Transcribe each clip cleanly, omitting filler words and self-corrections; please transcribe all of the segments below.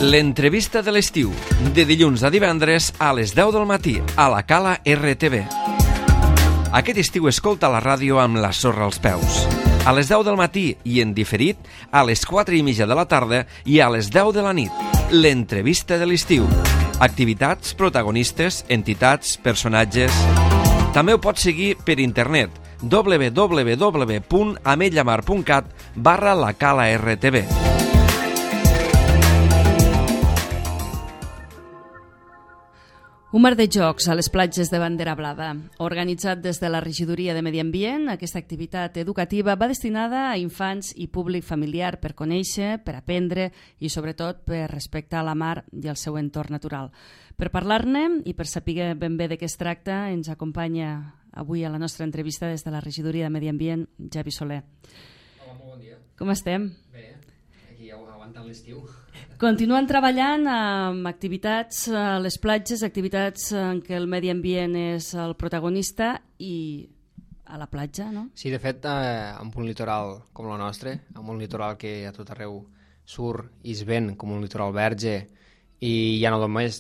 L'entrevista de l'estiu, de dilluns a divendres a les 10 del matí, a la Cala RTV. Aquest estiu escolta la ràdio amb la sorra als peus. A les 10 del matí i en diferit, a les 4:30 de la tarda i a les 10 de la nit. L'entrevista de l'estiu. Activitats, protagonistes, entitats, personatges... També ho pots seguir per internet www.ametlllamar.cat/la-cala-rtv. Un mar de jocs a les platges de Bandera Blava. Organitzat des de la Regidoria de Medi Ambient, aquesta activitat educativa va destinada a infants i públic familiar per conèixer, per aprendre i sobretot per respectar la mar i el seu entorn natural. Per parlar-ne i per saber ben bé de què es tracta, ens acompanya avui a la nostra entrevista des de la Regidoria de Medi Ambient, Javi Soler. Hola, molt bon dia. Com estem? Bé, aquí aguantant l'estiu. Continuen treballant amb activitats a les platges, activitats en què el medi ambient és el protagonista i a la platja, no? Sí, de fet, amb un litoral com el nostre, amb un litoral que a tot arreu surt i es ven com un litoral verge, i ja no només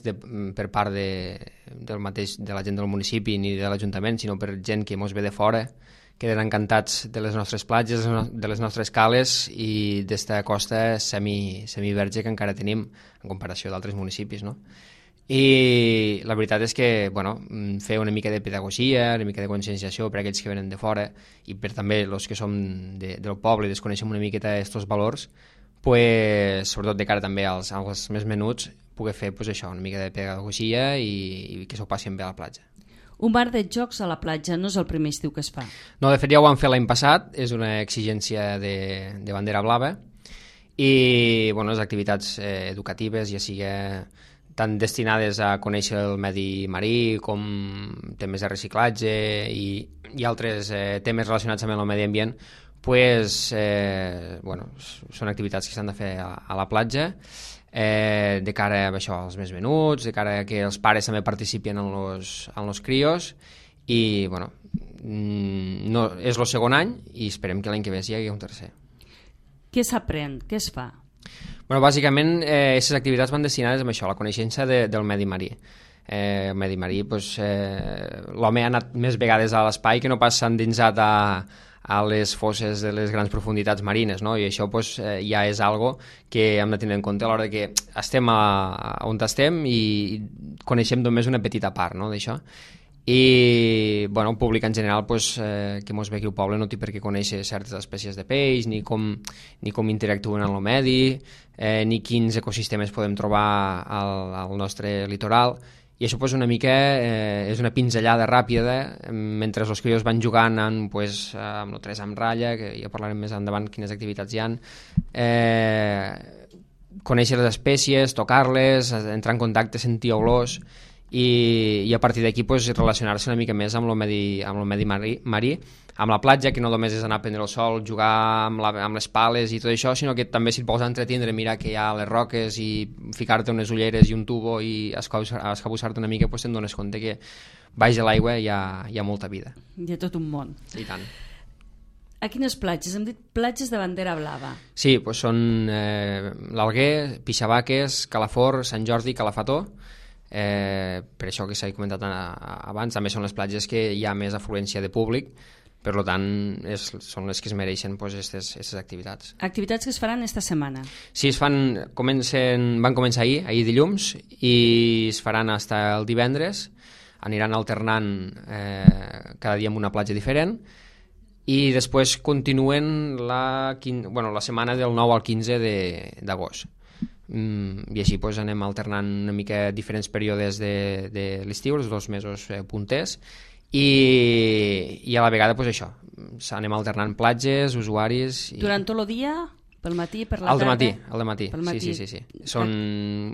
per part de la gent del municipi ni de l'Ajuntament, sinó per gent que mos ve de fora, queden encantats de les nostres platges, de les nostres cales i d'esta costa semiverge que encara tenim en comparació d'altres municipis, no? I la veritat és que, bueno, fer una mica de pedagogia, una mica de conscienciació per a aquells que venen de fora i per també els que som del poble i desconeixem una miqueta aquests valors, pues, sobretot de cara també als més menuts, poder fer pues, això, una mica de pedagogia i que s'ho passin bé a la platja. Un bar de jocs a la platja no és el primer estiu que es fa. No, de fet ja ho vam fer l'any passat, és una exigència de Bandera Blava i bueno, les activitats educatives ja sigui tant destinades a conèixer el medi marí com temes de reciclatge i altres temes relacionats amb el medi ambient, pues, bueno, són activitats que s'han de fer a la platja de cara a això, als més menuts, de cara a que els pares també participin en los crios i bueno, no, és el segon any i esperem que l'any que ve hi hagi un tercer. Què s'aprèn? Què es fa? Bueno, bàsicament, aquestes activitats van destinades a això, a la coneixença del medi marí. El medi marí, pues, l'home ha anat més vegades a l'espai que no pas s'ha endinsat a les fosses de les grans profunditats marines, no? I això pues, ja és algo que hem de tenir en compte a l'hora que estem on estem i coneixem només una petita part, no, d'això. I bueno, el públic en general pues, que mos ve aquí al poble no té per què conèixer certes espècies de peix, ni com interactuen en el medi, ni quins ecosistemes podem trobar al nostre litoral. I això pues, una mica és una pinzellada ràpida mentre els crios van jugant amb el 3 amb ratlla, que ja parlarem més endavant quines activitats hi ha, conèixer les espècies, tocar-les, entrar en contacte, sentir olors i a partir d'aquí pues, relacionar-se una mica més amb el medi marí, amb la platja, que no només és anar a prendre el sol, jugar amb les pales i tot això, sinó que també si et vols entretindre, mirar que hi ha les roques i ficar-te unes ulleres i un tubo i escabussar-te una mica, pues, te'n dones compte que baix de l'aigua hi ha molta vida. Hi ha tot un món. I tant. A quines platges? Hem dit platges de Bandera Blava. Sí, pues són l'Alguer, Pixabaques, Calafort, Sant Jordi i Calafató. Per això que s'ha comentat abans, també són les platges que hi ha més afluència de públic, per tant són les que es mereixen aquestes activitats. Activitats que es faran esta setmana? Sí, van començar ahir dilluns i es faran fins el divendres, aniran alternant cada dia en una platja diferent i després continuen la setmana del 9 al 15 d'agost. I així pues, anem alternant una mica diferents períodes de l'estiu, els 2 mesos punters, i a la vegada pues, això, anem alternant platges, usuaris... Durant tot el dia? Pel matí, per la tarda? Al dematí. Sí. Són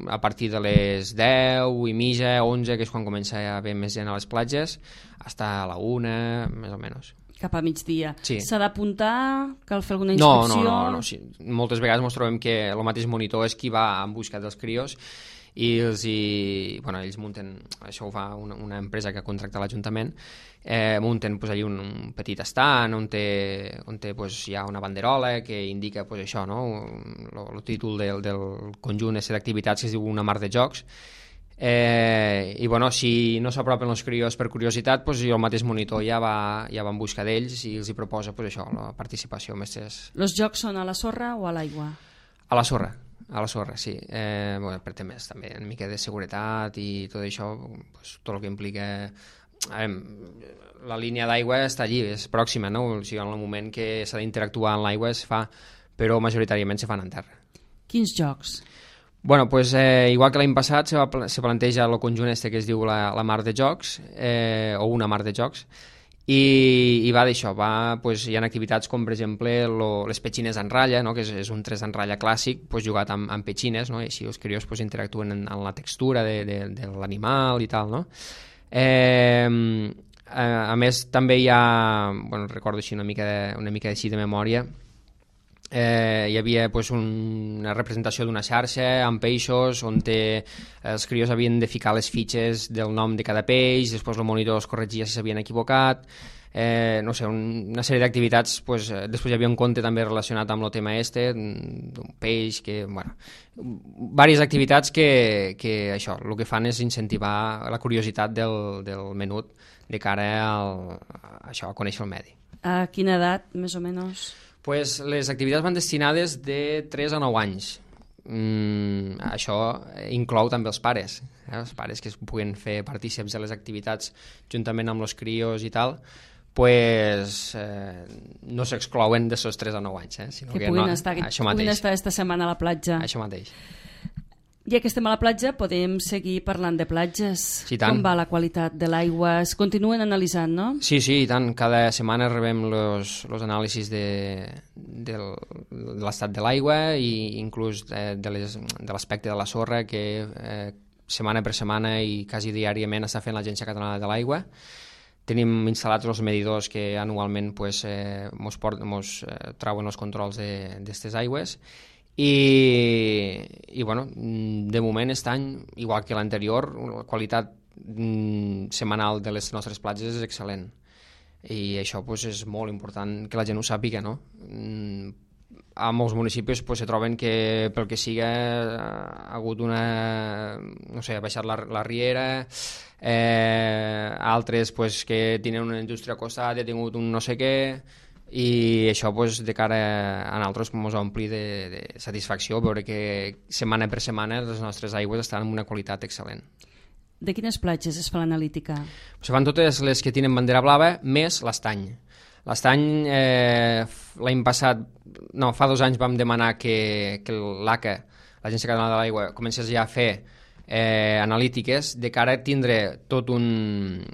a partir de les 10 i mitja, 11, que és quan comença a haver més gent a les platges, fins a la 1, més o menys. Cap a migdia. Sí. S'ha d'apuntar? Cal fer alguna inscripció? No. Sí. Moltes vegades ens trobem que el mateix monitor és qui va en busca dels crios ells munten, això ho fa una empresa que contracta l'Ajuntament, munten pues, allà un petit estant on pues, hi ha una banderola que indica pues, això, no? El títol del conjunt d'activitats que es diu Una mar de jocs. I bueno, si no s'apropen els crios per curiositat, pues, el mateix monitor ja va en busca d'ells i els hi proposa pues, això, la participació. Els jocs són a la sorra o a l'aigua? A la sorra, sí. Bueno, per temes també una mica de seguretat i tot això, pues, tot el que implica... la línia d'aigua està allí, és pròxima, no? O sigui, en el moment que s'ha d'interactuar en l'aigua es fa, però majoritàriament se fan en terra. Quins jocs? Bueno, pues, igual que l'any passat se planteja el conjunt que es diu la mar de jocs, o una mar de jocs, i va d'això, pues, hi ha activitats com per exemple les petxines en ratlla, no? Que és un 3 en ratlla clàssic pues, jugat amb petxines, no? I així els crios pues, interactuen en la textura de l'animal i tal, no? A més també hi ha, bueno, recordo així una mica així de memòria, hi havia pues, una representació d'una xarxa amb peixos on els crios havien de ficar les fitxes del nom de cada peix, després el monitor els corregia si s'havien equivocat, no sé, una sèrie d'activitats. Pues, després hi havia un conte també relacionat amb el tema d'un peix, bueno, diverses activitats que això, el que fan és incentivar la curiositat del menut de cara a conèixer el medi. A quina edat, més o menys? Pues les activitats van destinades de 3 a 9 anys. Això inclou també els pares, els pares que es puguen fer partícips de les activitats juntament amb els crios i tal, pues, no s'exclouen de sos 3 a 9 anys. Sinó que puguin estar esta setmana a la platja. Això mateix. Ja que estem a la platja, podem seguir parlant de platges. Sí, tant. Com va la qualitat de l'aigua? Es continuen analitzant, no? Sí, i tant. Cada setmana rebem els anàlisis de l'estat de l'aigua i inclús de l'aspecte de la sorra que setmana per setmana i quasi diàriament està fent l'Agència Catalana de l'Aigua. Tenim instal·lats els medidors que anualment pues, mos trauen els controls d'aquestes aigües. I bueno, de moment aquest any, igual que l'anterior, la qualitat setmanal de les nostres platges és excel·lent i això pues, és molt important que la gent ho sàpiga, no? A molts municipis pues, se troben que pel que siga ha hagut no sé, ha baixat la riera, altres pues, que tenen una indústria al costat i ha tingut un no sé què, i això pues, de cara a nosaltres ens ompli de satisfacció veure que setmana per setmana les nostres aigües estan en una qualitat excel·lent. De quines platges es fa l'analítica? Se fan totes les que tenen bandera blava més l'Estany. L'Estany l'any passat, no, fa 2 anys vam demanar que l'ACA, l'Agència Catalana de l'Aigua, comencés ja a fer analítiques de cara a tindre tots els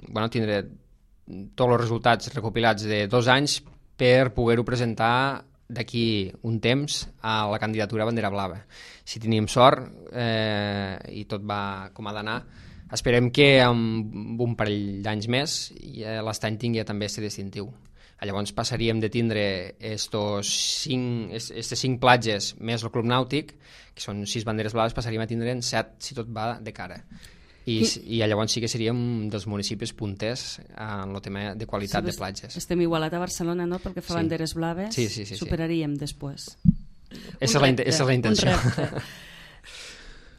resultats recopilats de 2 anys per poder-ho presentar d'aquí un temps a la candidatura a bandera blava. Si tenim sort i tot va com ha d'anar, esperem que amb un parell d'anys més l'Estany tingui també aquest distintiu. Llavors passaríem de tindre aquestes 5 platges més el Club Nàutic, que són 6 banderes blaves, passaríem a tindre 7 si tot va de cara. I llavors sí que seríem dels municipis punters en el tema de qualitat de platges. Estem igualat a Barcelona, no?, pel que fa banderes blaves. Sí. Superaríem després. Esa és la intenció.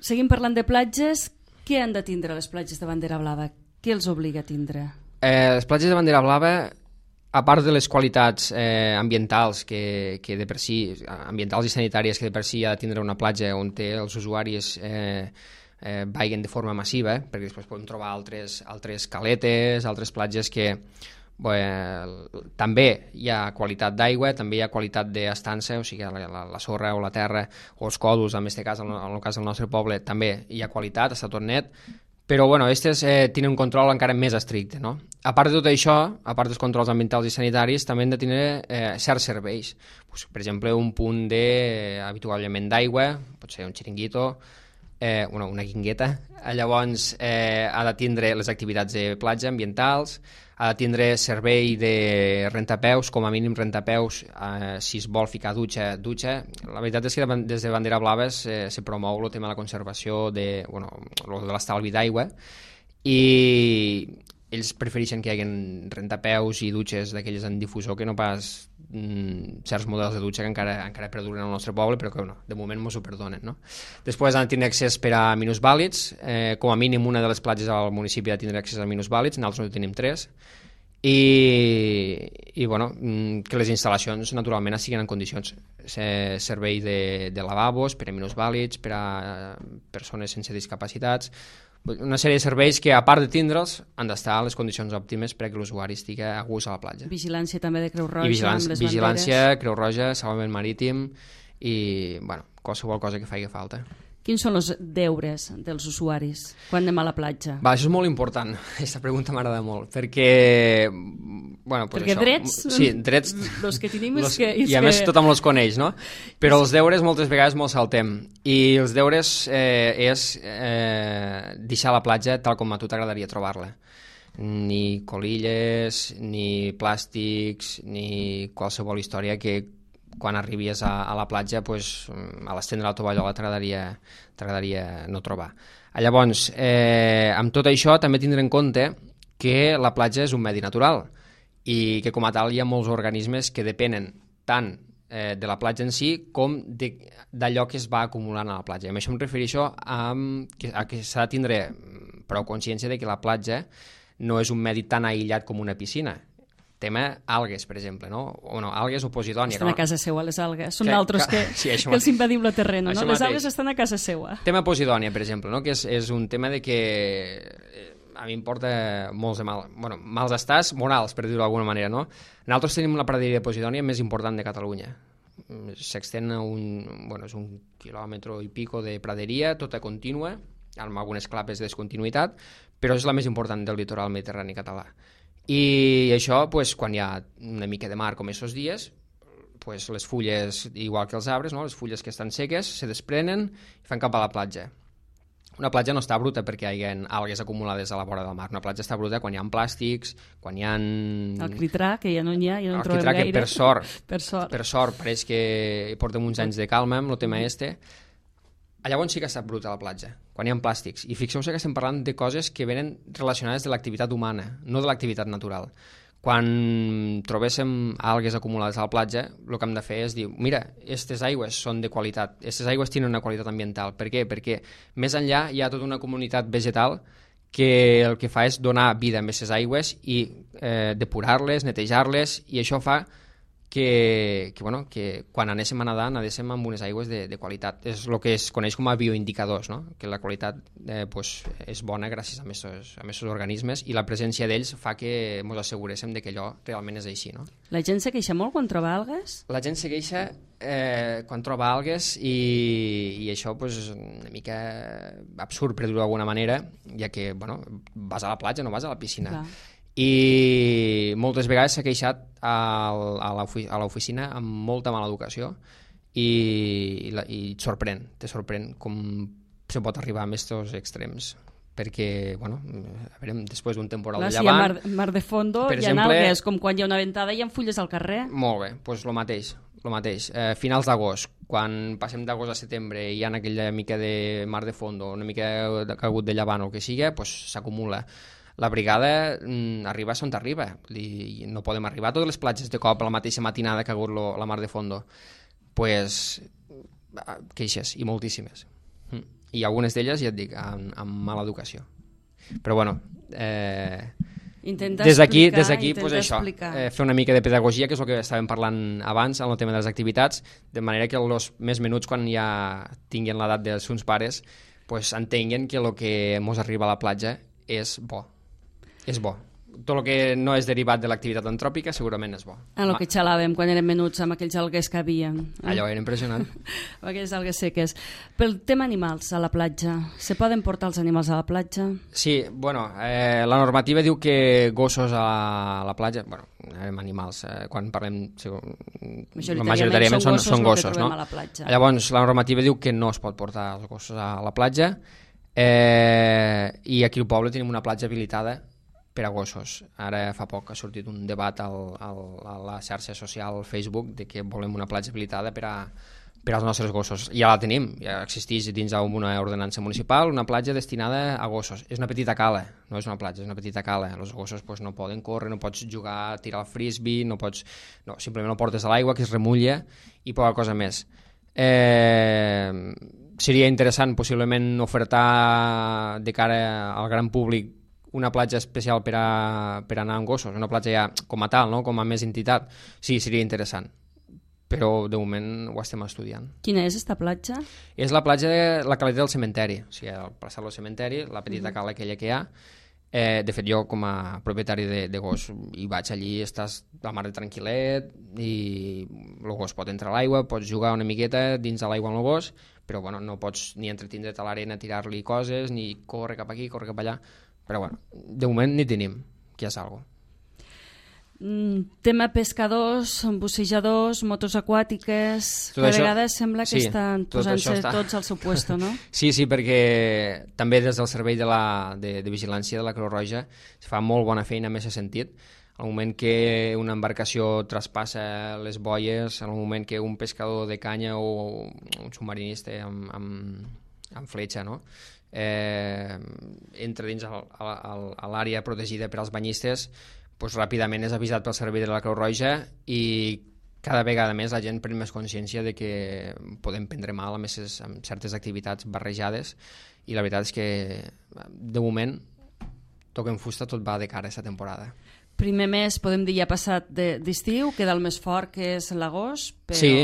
Seguim parlant de platges. Què han de tindre les platges de bandera blava? Què els obliga a tindre? Les platges de bandera blava, a part de les qualitats ambientals que de per si, ambientals i sanitàries que de per si ha de tindre una platja on els usuaris vaiguen de forma massiva, perquè després podem trobar altres caletes, altres platges que també hi ha qualitat d'aigua, també hi ha qualitat d'estança, o sigui, la sorra o la terra o els còdols, en aquest cas, en el cas del nostre poble, també hi ha qualitat, està tot net, però bueno, aquestes tenen un control encara més estricte, no? A part de tot això, a part dels controls ambientals i sanitaris, també han de tenir certs serveis. Per exemple, un punt d'avituallament d'aigua, pot ser un xiringuito, una guingueta. Llavors ha de tindre les activitats de platja ambientals, ha de tindre servei de rentapeus, com a mínim rentapeus, si es vol ficar dutxa. La veritat és que des de Bandera Blava se promou el tema de la conservació de l'estalvi d'aigua, i ells prefereixen que hi hagi rentapeus i dutxes d'aquelles en difusor que no pas certs models de dutxa que encara perduren al nostre poble, però que de moment mos ho perdonen, no? Després han de tenir accés per a minusvàlids, com a mínim una de les platges al municipi ha de tindre accés a minusvàlids, nosaltres en tenim 3, i bueno, que les instal·lacions naturalment estiguin en condicions, servei de lavabos per a minusvàlids, per a persones sense discapacitats, una sèrie de serveis que, a part de tindre'ls, han d'estar a les condicions òptimes perquè l'usuari estigui a gust a la platja. Vigilància també de Creu Roja, amb les vigilància, Creu Roja, salvament marítim i qualsevol cosa que faci falta. Quins són els deures dels usuaris quan anem a la platja? Això és molt important, aquesta pregunta m'agrada molt, perquè... perquè drets... Sí, drets... Els que tenim és que... I a més tothom els coneix, no? Però els deures moltes vegades me'ls saltem. I els deures és deixar la platja tal com a tu t'agradaria trobar-la. Ni colilles, ni plàstics, ni qualsevol història que quan arribis a la platja, a l'estendre la tovallola t'agradaria no trobar. Llavors, amb tot això també tindre en compte que la platja és un medi natural i que com a tal hi ha molts organismes que depenen tant de la platja en si com d'allò que es va acumulant a la platja. I amb això em refereixo a que s'ha de tindre prou consciència de que la platja no és un medi tan aïllat com una piscina. Tema algues, per exemple, no? Algues o posidònia. Estan a casa seva, les algues. Són d'altres que els invadim la terreno, no? Les algues estan a casa seva. Tema posidònia, per exemple, no? Que és un tema de que a mi em porta molts de mals estats morals, per dir-ho d'alguna manera, no? Nosaltres tenim la praderia de posidònia més important de Catalunya. S'extén és un quilòmetre i pico de praderia, tota contínua, amb algunes clapes de descontinuïtat, però és la més important del litoral mediterrani català. I això, quan hi ha una mica de mar com aquests dies, les fulles, igual que els arbres, les fulles que estan seques, se desprenen i fan cap a la platja. Una platja no està bruta perquè hi ha algues acumulades a la vora del mar. Una platja està bruta quan hi ha plàstics, quan hi ha... El quitrà, que ja no n'hi ha, ja no en trobem gaire. El quitrà, que per sort, pareix que portem uns anys de calma amb el tema Llavors sí que està bruta la platja, quan hi ha plàstics. I fixeu-vos que estem parlant de coses que venen relacionades de l'activitat humana, no de l'activitat natural. Quan trobéssim algues acumulades a la platja, el que hem de fer és dir, mira, aquestes aigües són de qualitat, aquestes aigües tenen una qualitat ambiental. Per què? Perquè més enllà hi ha tota una comunitat vegetal que el que fa és donar vida a aquestes aigües i depurar-les, netejar-les, i això fa que quan anéssim a nedar anéssim amb unes aigües de qualitat. És el que es coneix com a bioindicadors, no? Que la qualitat és bona gràcies a aquests organismes, i la presència d'ells fa que ens asseguréssim de que allò realment és així, no? La gent se queixa molt quan troba algues? La gent se queixa quan troba algues, i això és una mica absurd, per dir-ho d'alguna manera, ja que vas a la platja, no vas a la piscina. Clar. I moltes vegades s'ha queixat a l'oficina amb molta mala educació, i et sorprèn com se pot arribar a aquests extrems, perquè després d'un temporal de llevant, si hi ha mar de fondo, hi ha algues, com quan hi ha una ventada i hi ha fulles al carrer. Molt bé, doncs el mateix. Finals d'agost, quan passem d'agost a setembre i hi ha aquella mica de mar de fondo, una mica de cagut de llevant o el que sigui, s'acumula. La brigada arriba on arriba, no podem arribar a totes les platges de cop a la mateixa matinada que ha hagut la mar de fondo. Queixes, i moltíssimes. I algunes d'elles, ja et dic, amb mala educació. Però des d'aquí això, fer una mica de pedagogia, que és el que estàvem parlant abans en el tema de les activitats, de manera que els més menuts, quan ja tinguin l'edat dels seus pares, entenguin que el que ens arriba a la platja és bo. És bo. tot el que no és derivat de l'activitat antròpica segurament és bo. El que xalàvem quan érem menuts amb aquells algues que havia. Allò era impressionant. Aquelles algues seques. Pel tema animals a la platja, se poden portar els animals a la platja? Sí, bueno, la normativa diu que gossos a la platja, bueno, animals, quan parlem majoritàriament són gossos, no? Llavors la normativa diu que no es pot portar els gossos a la platja, i aquí al poble tenim una platja habilitada per a gossos. Ara fa poc ha sortit un debat a la xarxa social Facebook de que volem una platja habilitada per als nostres gossos. Ja la tenim, ja existeix dins d'una ordenança municipal una platja destinada a gossos. És una petita cala, no és una platja, és una petita cala. Els gossos no poden córrer, no pots jugar, tirar el frisbee, simplement el portes a l'aigua que es remulla i poca cosa més. Seria interessant possiblement ofertar de cara al gran públic una platja especial per anar amb gossos, una platja ja com a tal, no? Com a més entitat. Sí, seria interessant, però de moment ho estem estudiant. Quina és esta platja? És la platja de la caleta del cementeri, o sigui, al passar del cementeri, la petita cala aquella que hi ha. De fet, jo com a propietari de gos hi vaig allí, estàs la mar de tranquil·let i el gos pot entrar a l'aigua, pots jugar una miqueta dins de l'aigua amb el gos, però bueno, no pots ni entretindre't a l'arena, tirar-li coses, ni córrer cap aquí, córrer cap allà. Però bueno, de moment ni tenim, que ja és algo. Tema pescadors, bussejadors, motos aquàtiques, que a vegades sembla que estan posant-se tots al seu puesto, no? Sí, perquè també des del servei de vigilància de la Creu Roja es fa molt bona feina en aquest sentit. Al moment que una embarcació traspassa les boies, al moment que un pescador de canya o un submarinista amb fletxa, no? Entra dins l'àrea protegida per als banyistes, doncs ràpidament és avisat pel servei de la Creu Roja i cada vegada més la gent pren més consciència de que podem prendre mal amb certes activitats barrejades, i la veritat és que de moment toquem fusta, tot va de cara a aquesta temporada. Primer mes, podem dir, ja passat d'estiu, queda el més fort, que és l'agost, però... Sí.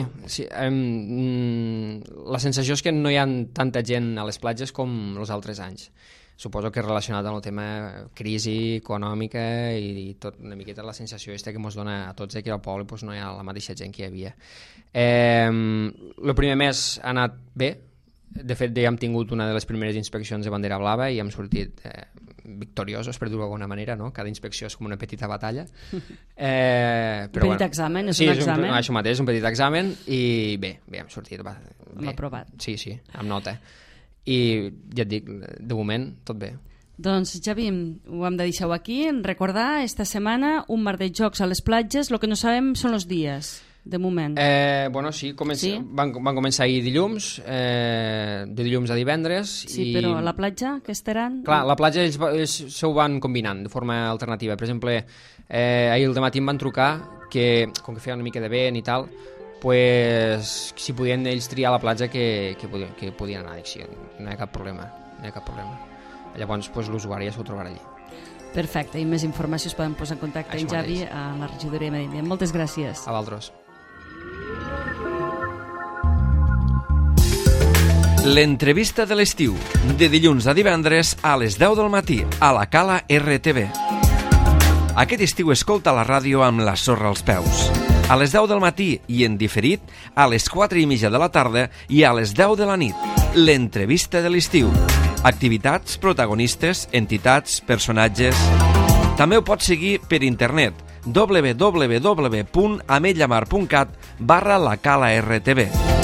La sensació és que no hi ha tanta gent a les platges com els altres anys. Suposo que és relacionat amb el tema crisi econòmica i tot una miqueta la sensació que ens dona a tots que al poble no hi ha la mateixa gent que hi havia. El primer mes ha anat bé. De fet, ja hem tingut una de les primeres inspeccions de bandera blava i hem sortit victoriosos, per dir-ho d'alguna manera, no? Cada inspecció és com una petita batalla. Un petit examen, és un examen? Això mateix, un petit examen, i bé, hem sortit. Hem aprovat. Sí, amb nota. I ja et dic, de moment, tot bé. Doncs, Javi, ho hem de deixar aquí. Recordar, esta setmana, un mar de jocs a les platges. El que no sabem són els dies, de moment. Bueno, sí, van començar ahir dilluns, de dilluns a divendres. Sí, però a la platja, què estaran? Clar, la platja ells s'ho van combinant de forma alternativa. Per exemple, ahir al dematí em van trucar que, com que feia una mica de vent i tal, pues, si podien ells triar la platja que podien anar. Dic, sí, no hi ha cap problema. Llavors, pues, l'usuari ja s'ho trobarà allí. Perfecte, i més informació es poden posar en contacte amb Javi a la regidoria de Medi Ambient. Moltes gràcies. A vosaltres. L'entrevista de l'estiu, de dilluns a divendres a les 10 del matí, a la Cala RTV. Aquest estiu escolta la ràdio amb la sorra als peus. A les 10 del matí i en diferit, a les 4:30 de la tarda i a les 10 de la nit. L'entrevista de l'estiu. Activitats, protagonistes, entitats, personatges... També ho pots seguir per internet www.ametlllamar.cat/la Cala RTV.